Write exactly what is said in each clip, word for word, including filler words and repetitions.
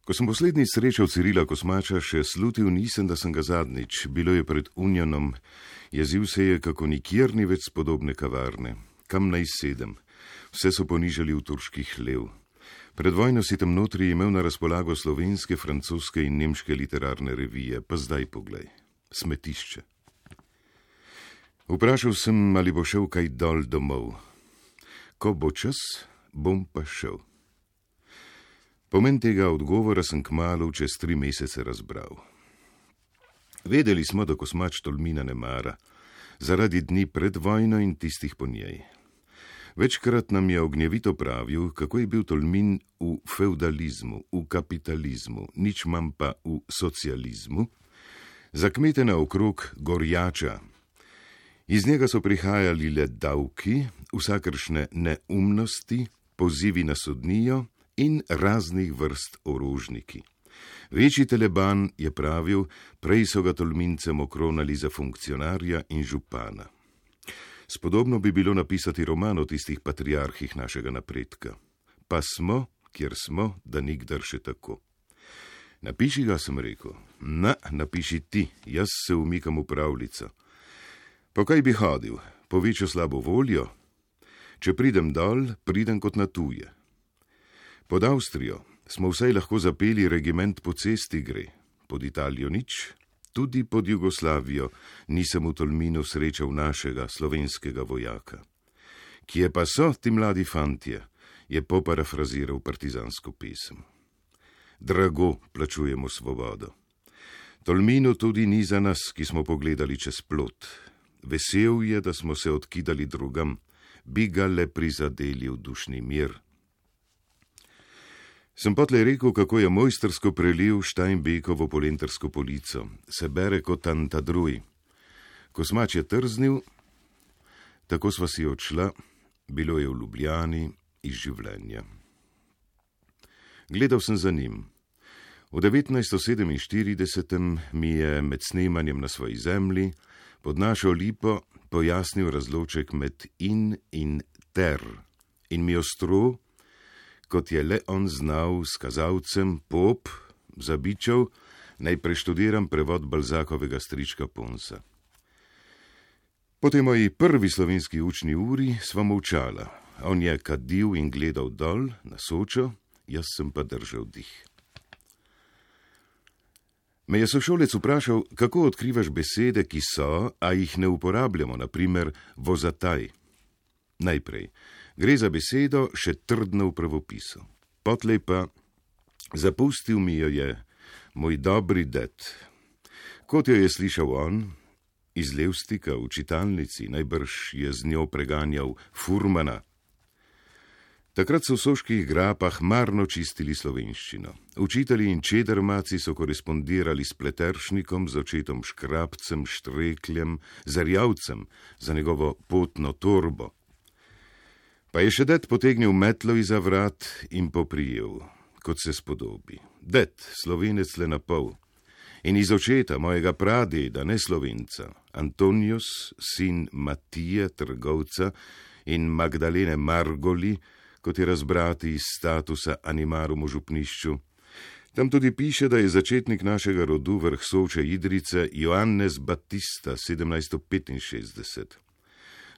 Ko sem poslednjič srečal Cirila Kosmača, še slutil nisem, da sem ga zadnjič. Bilo je pred Unionom. Jezil se je, kako nikjer ni več spodobne kavarne. Kam naj sedem? Vse so ponižali v turški hlev. Pred vojno si tam notri imel na razpolago slovenske, francoske in nemške literarne revije, pa zdaj poglej. Smetišče. Vprašal sem, ali bo šel kaj dol domov. Ko bo čas, bom pa šel. Pomen tega odgovora sem kmalu čez tri mesece razbral. Vedeli smo, da Kosmač Tolmina ne mara, zaradi dni pred vojno in tistih po njej. Večkrat nam je ognjevito pravil, kako je bil Tolmin v feudalizmu, v kapitalizmu, nič manj pa v socializmu, za kmete naokrog gorjača. Iz njega so prihajali le davki, vsakršne neumnosti, pozivi na sodnijo in raznih vrst orožniki. Večji teleban je pravil, prej so ga Tolmincem okronali za funkcionarja in župana. Spodobno bi bilo napisati roman o tistih patriarhih našega napredka. Pa smo, kjer smo, da nikdar še tako. Napiši ga, sem rekel. Na, napiši ti, jaz se umikam v pravljico. Po kaj bi hodil? Po večjo slabo voljo? Če pridem dol, pridem kot na tuje. Pod Avstrijo smo vsaj lahko zapeli regiment po cesti gre, pod Italijo nič, tudi pod Jugoslavijo nisem v Tolminu srečal našega slovenskega vojaka. Kje pa so ti mladi fantje, je poparafraziral partizansko pesem. Drago plačujemo svobodo. Tolminu tudi ni za nas, ki smo pogledali čez plot. Vesel je, da smo se odkidali drugam, bi ga le prizadeli v dušni mir. Sem potlej rekel, kako je mojstersko prelil Steinbeckovo polentarsko polico. Se bere kot Tantadruj. Kosmač je trznil, tako sva si odšla, bilo je v Ljubljani iz življenja. Gledal sem za njim. V devetnajststo sedeminštiridesetem mi je med snemanjem Na svoji zemlji pod našo lipo pojasnil razloček med in in ter in mi ostro, kot je le on znal, s kazalcem, pop, zabičal, naj preštudiram prevod Balzakovega strička Ponsa. Po tej moji prvi slovenski učni uri sva molčala. On je kadil in gledal dol, na Sočo, jaz sem pa držal dih. Me je sošolec vprašal, kako odkrivaš besede, ki so, a jih ne uporabljamo, na primer vozataj. Najprej, gre za besedo še trdno v pravopisu. Potlej pa, zapustil mi jo je moj dobri ded. Kot jo je slišal on, iz Levstika v čitalnici, najbrž je z njo preganjal furmana. Takrat so v soških grapah marno čistili slovenščino. Učitelji in čedermaci so korespondirali s Pleteršnikom, z očetom Škrabcem, Štrekljem, Zarjavcem za njegovo potno torbo. Pa je še ded potegnil metlo iza vrat in poprijel, kot se spodobi. Ded, Slovenec le na pol. In iz očeta mojega pradeda, ne Slovenca, Antonius, sin Matije, trgovca, in Magdalene Margoli, kot je razbrati iz statusa animarum v župnišču. Tam tudi piše, da je začetnik našega rodu vrh Soče Idrice Joannes Batista sedemnajststo petinšestdeset.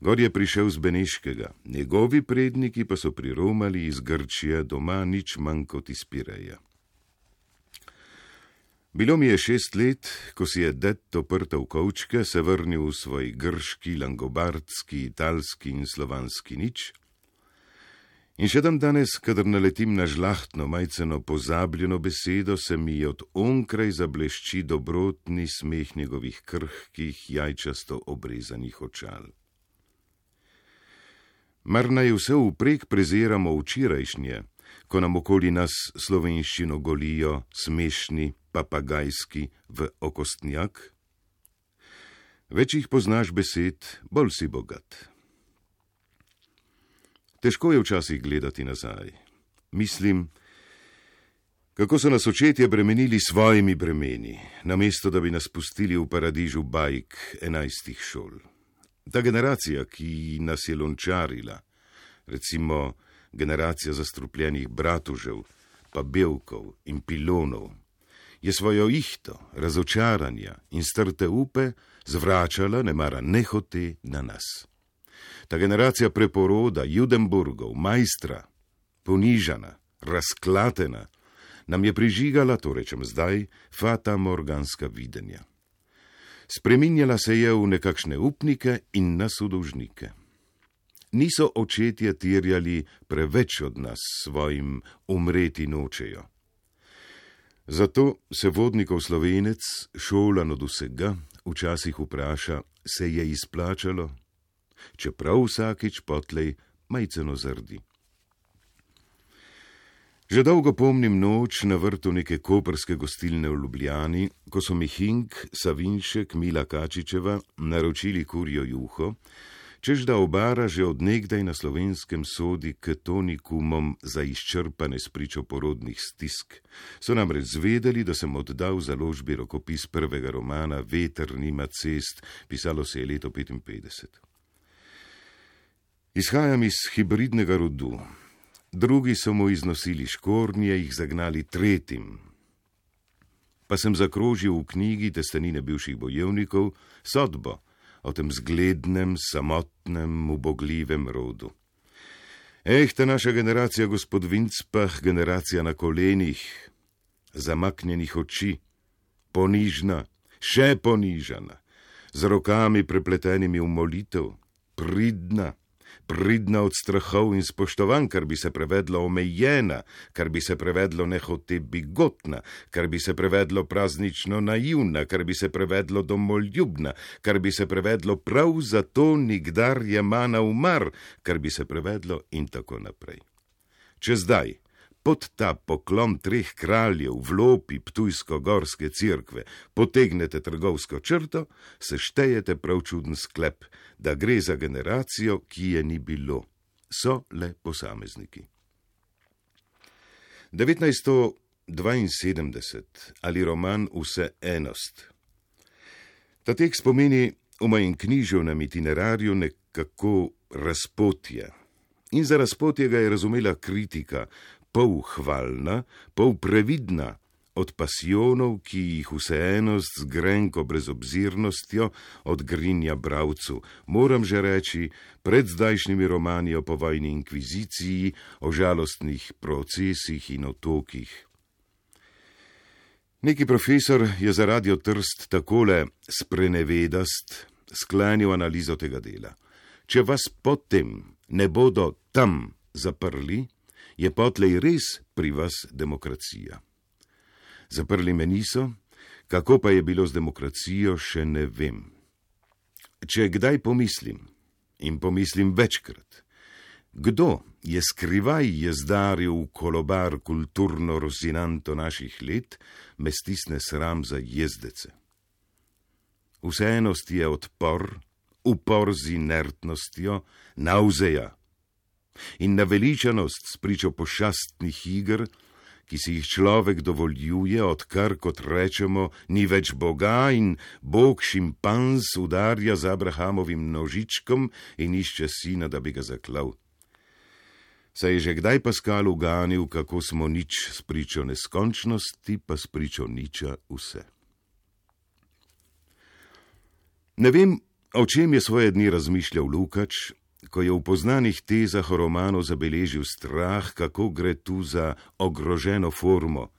Gor je prišel z Beneškega, njegovi predniki pa so priromali iz Grčije, doma nič manj kot iz Pireja. Bilo mi je šest let, ko si je ded oprtal kovčke, se vrnil v svoj grški, langobardski, italski in slovanski nič. In še dan danes, kadar naletim na žlahtno, majceno pozabljeno besedo, se mi od onkraj zablešči dobrotni smeh njegovih krhkih, jajčasto obrezanih očal. Mar naj vse vprek preziramo včerajšnje, ko nam okoli nas slovenščino golijo, smešni, papagajski, v okostnjak? Več jih poznaš besed, bolj si bogat. Težko je včasih gledati nazaj. Mislim, kako so nas očetje bremenili svojimi bremeni, namesto da bi nas pustili v paradižu bajk enajstih šol. Ta generacija, ki nas je lončarila, recimo generacija zastrupljenih bratužev, pa belkov in pilonov, je svojo ihto, razočaranja in strte upe zvračala nemara nehote na nas. Ta generacija preporoda, Judenburgov, majstra, ponižana, razklatena, nam je prižigala, to rečem zdaj, fata morganska videnja. Spreminjala se je v nekakšne upnike in nas v dolžnike. Niso očetje terjali preveč od nas svojim umreti nočejo. Zato se vodnikov Slovenec, šolan od vsega, včasih vpraša, se je izplačalo, čeprav vsakič potlej majceno zrdi. Že dolgo pomnim noč na vrtu neke koprske gostilne v Ljubljani, ko so mi Hink, Savinšek, Mila Kačičeva naročili kurjo juho, čež da obara že od nekdaj na Slovenskem sodi k tonikumom za izčrpane spričo porodnih stisk. So namreč zvedeli, da sem oddal založbi rokopis prvega romana Veter nima cest, pisalo se je leto petinpetdeset. Izhajam iz hibridnega rodu. Drugi so mu iznosili škornje, jih zagnali tretjim. Pa sem zakrožil v knjigi Testenine bivših bojevnikov sodbo o tem zglednem, samotnem, ubogljivem rodu. Eh, ta naša generacija, gospod Vincpah, generacija na kolenih, zamaknjenih oči, ponižna, še ponižana, z rokami prepletenimi v molitev, pridna, pridna od strahov in spoštovanj, kar bi se prevedlo omejena, kar bi se prevedlo nehote bigotna, kar bi se prevedlo praznično naivna, kar bi se prevedlo domoljubna, kar bi se prevedlo prav zato nikdar jemana umar, kar bi se prevedlo in tako naprej. Če zdaj, pod ta poklon treh kraljev v lopi ptujsko-gorske cerkve potegnete trgovsko črto, se štejete prav čuden sklep, da gre za generacijo, ki je ni bilo. So le posamezniki. devetnajststo dvainsedemdeset ali roman Vseenost. Ta tekst pomeni v mojem književnem itinerarju nekako razpotje. In za razpotje ga je razumela kritika, pol hvalna, pol previdna, od pasijonov, ki jih vseenost z grenko brezobzirnostjo odgrinja bravcu, moram že reči, pred zdajšnjimi romani o povojni inkviziciji, o žalostnih procesih in otokih. Neki profesor je za Radio Trst takole sprenevedast sklenil analizo tega dela. Če vas potem ne bodo tam zaprli, je potlej res pri vas demokracija. Zaprli me niso, kako pa je bilo z demokracijo, še ne vem. Če kdaj pomislim, in pomislim večkrat, kdo je skrivaj jezdaril v kolobar kulturno rozinanto naših let, me stisne sram za jezdece. Vseenost je odpor, upor z inertnostjo, nauzeja in naveličanost spričo pošastnih iger, ki si jih človek dovoljuje, odkar, kot rečemo, ni več Boga in Bog šimpanz udarja z Abrahamovim nožičkom in išče sina, da bi ga zaklal. Saj je že kdaj Paskal uganil, kako smo nič spričo neskončnosti, pa spričo niča vse. Ne vem, o čem je svoje dni razmišljal Lukač, ko je v poznanih tezah o romanu zabeležil strah, kako gre tu za ogroženo formo.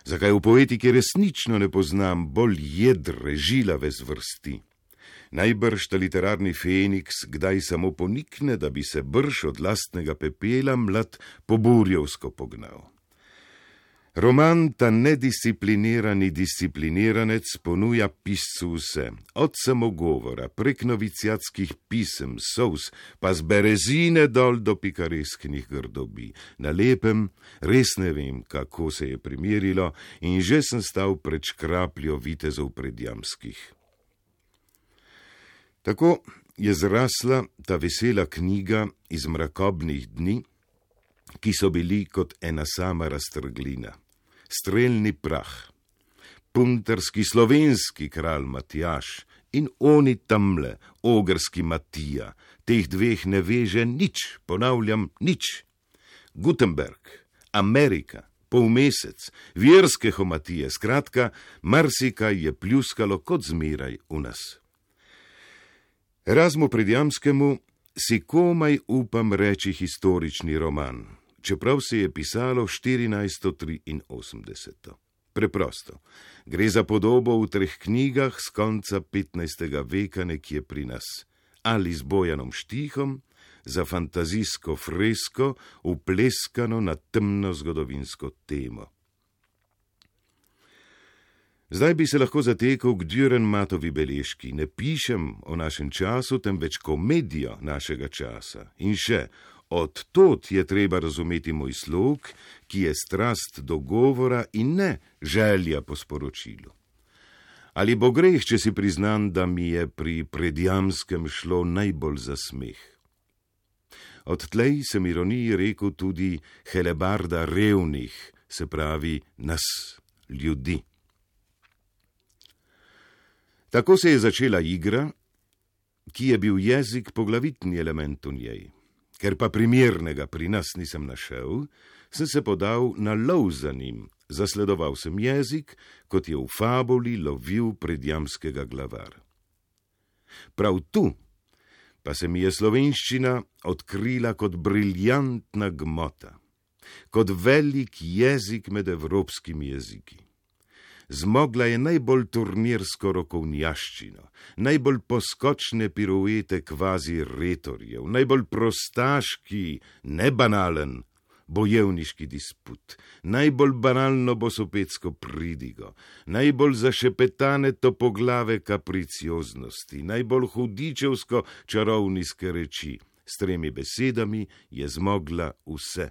Zakaj v poetiki resnično ne poznam bolj jedre, žilave zvrsti? Najbrž ta literarni feniks kdaj samo ponikne, da bi se brž od lastnega pepela mlad poburjevsko pognal. Roman ta nedisciplinirani discipliniranec ponuja piscu vse, od samogovora, prek noviciatskih pisem, sous, pa z berezine dol do pikaresknih grdobi. Na lepem res ne vem, kako se je primerilo, in že sem stal pred škrapljo vitezov predjamskih. Tako je zrasla ta vesela knjiga iz mrakobnih dni, ki so bili kot ena sama raztrglina. Strelni prah, puntarski slovenski kralj Matjaž in oni tamle, ogrski Matija, teh dveh ne veže nič, ponavljam, nič. Gutenberg, Amerika, polmesec, verske homatije, skratka, marsikaj je pljuskalo kot zmeraj v nas. Erazmu Predjamskemu si komaj upam reči historični roman, čeprav se je pisalo štirinajststo triinosemdeset. Preprosto, gre za podobo v treh knjigah z konca petnajstega veka nekje pri nas, ali z Bojanom Štihom, za fantazijsko fresko, upleskano na temno zgodovinsko temo. Zdaj bi se lahko zatekel k Dürrenmattovi beležki, ne pišem o našem času, temveč komedijo našega časa. In še, od tod je treba razumeti moj slog, ki je strast do govora in ne želja po sporočilu. Ali bo greh, če si priznam, da mi je pri Predjamskem šlo najbolj za smeh. Odtlej sem ironiji rekel tudi helebarda revnih, se pravi nas, ljudi. Tako se je začela igra, ki je bil jezik poglavitni element v njej. Ker pa primernega pri nas nisem našel, sem se podal na lov za njim, zasledoval sem jezik, kot je v fabuli lovil Predjamskega glavar. Prav tu pa se mi je slovenščina odkrila kot briljantna gmota, kot velik jezik med evropskimi jeziki. Zmogla je najbolj turnirsko rokovnjaščino, najbolj poskočne piruete kvazi retorjev, najbolj prostaški, nebanalen bojevniški disput, najbolj banalno bosopetsko pridigo, najbolj zašepetane topoglave kapricioznosti, najbolj hudičevsko čarovniske reči. S tremi besedami je zmogla vse.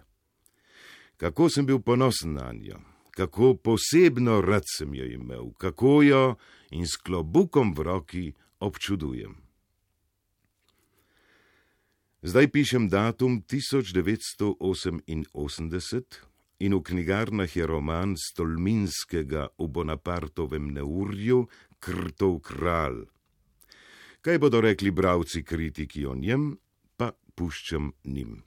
Kako sem bil ponosen na njo, kako posebno rad sem jo imel, kako jo in s klobukom v roki občudujem. Zdaj pišem datum tisoč devetsto oseminosemdeset in v knjigarnah je roman Stolminskega v Bonapartovem neurju Krtov kralj. Kaj bodo rekli bralci kritiki o njem, pa puščam njim.